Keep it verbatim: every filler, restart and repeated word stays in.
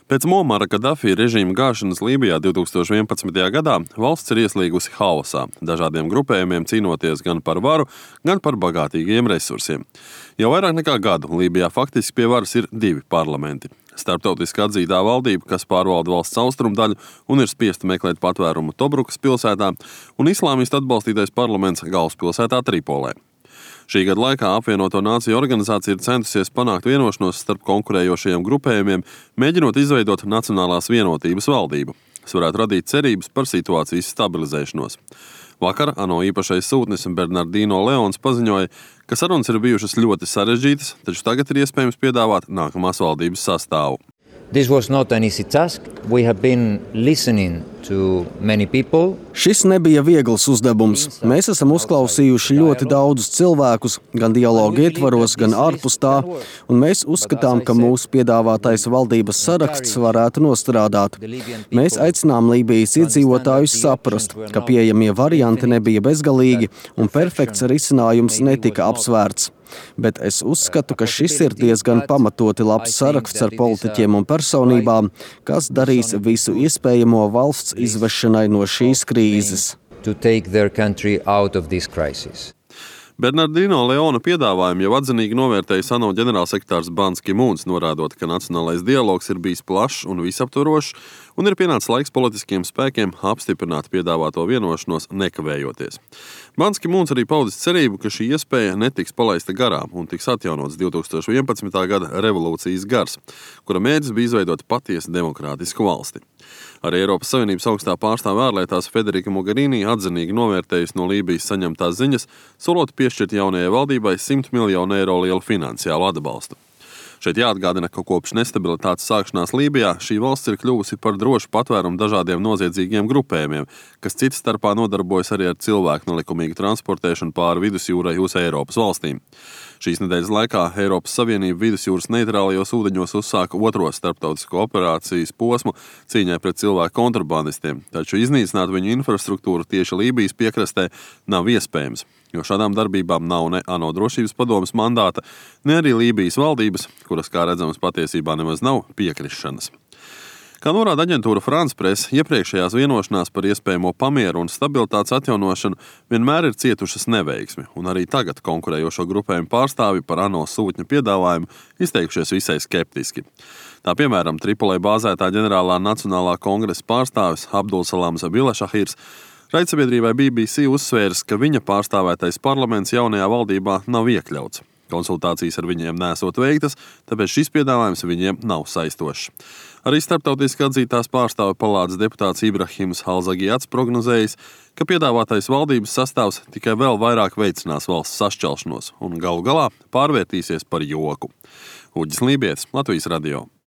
Pēc Muamara Kadafī režīma gāšanas Lībijā divtūkstoš vienpadsmitajā gadā valsts ir ieslīgusi haosā, dažādiem grupējumiem cīnoties gan par varu, gan par bagātīgiem resursiem. Jau vairāk nekā gadu Lībijā faktiski pie varas ir divi parlamenti. Starptautiski atzītā valdība, kas pārvalda valsts austrumdaļu un ir spiesta meklēt patvērumu Tobrukas pilsētā, un islāmistu atbalstītais parlaments galvaspilsētā Tripolē. Šī gada laikā apvienoto nāciju organizācija ir centusies panākt vienošanos starp konkurējošajiem grupējumiem, mēģinot izveidot Nacionālās vienotības valdību, kas varētu radīt cerības par situācijas stabilizēšanos. Vakar ANO īpašais sūtnis Bernardino Leons paziņoja, ka sarunas ir bijušas ļoti sarežģītas, taču tagad ir iespējams piedāvāt nākamās valdības sastāvu. This was not an easy task. We have been listening to many people. Šis nebija viegls uzdevums. Mēs esam uzklausījuši ļoti daudzus cilvēkus, gan dialogu ietvaros, gan ārpus tā, un mēs uzskatām, ka mūsu piedāvātais valdības saraksts varētu nostrādāt. Mēs aicinām Lībijas iedzīvotājus saprast, ka pieejamie varianti nebija bezgalīgi un perfekts risinājums netika apsvērts. Bet es uzskatu, ka šis ir diezgan pamatoti labs saraksts ar politiķiem un personībām, kas darīs visu iespējamo valsts izvešanai no šīs krīzes. To take their country out of this crisis. Bernardino Leona piedāvājumu jau atzinīgi novērtējis ANO ģenerālsekretārs Bans Ki-mūns, norādot, ka nacionālais dialogs ir bijis plašs un visaptvarošs, un ir pienācis laiks politiskiem spēkiem apstiprināt piedāvāto vienošanos nekavējoties. Bans Ki-mūns arī paudis cerību, ka šī iespēja netiks palaista garām un tiks atjaunots divtūkstoš vienpadsmitā gada revolūcijas gars, kura mērķis bija izveidot patiesu demokrātisku valsti. Arī Eiropas Savienības augstā pārstāve ārlietās Federika Mogherini atzinīgi novērtējusi no Lībijas saņemtās ziņas, solot piešķirt jaunajai valdībai simt miljonu eiro lielu finansiālu atbalstu. Šeit jāatgādina, ka kopš nestabilitātes sākšanās Lībijā šī valsts ir kļuvusi par drošu patvērumu dažādiem noziedzīgiem grupējumiem, kas cits starpā nodarbojas arī ar cilvēku nelikumīgu transportēšanu pāri vidusjūrai uz Eiropas valstīm. Šīs nedēļas laikā Eiropas Savienība vidusjūras neitrālajos ūdeņos uzsāka otro starptautisko operācijas posmu cīņai pret cilvēku kontrabandistiem, taču iznīcināt viņu infrastruktūru tieši Lībijas piekrastē nav iespējams, jo šādām darbībām nav ne ANO drošības padomes mandāta, ne arī Lībijas valdības, kuras, kā redzams, patiesībā nemaz nav piekrišanas. Kā norāda aģentūra France Press, iepriekšējās vienošanās par iespējamo pamieru un stabilitātes atjaunošanu vienmēr ir cietušas neveiksmi, un arī tagad konkurējošo grupējumu pārstāvi par ANO sūtņa piedāvājumu izteikušies visai skeptiski. Tā piemēram, Tripolē bāzētā ģenerālā nacionālā kongresa pārstāvis Abdulsalams Bilašahirs raidsabiedrībai B B C uzsvērs, ka viņa pārstāvētais parlaments jaunajā valdībā nav iekļauts. Konsultācijas ar viņiem nesot veiktas, tāpēc šis piedāvājums viņiem nav saistošs. Arī starptautiski atzītās pārstāve palātas deputāts Ibrahims Halzagiats prognozējis, ka piedāvātais valdības sastāvs tikai vēl vairāk veicinās valsts sašķelšanos un galu galā pārvērtīsies par joku. Uģis Lībietis, Latvijas radio.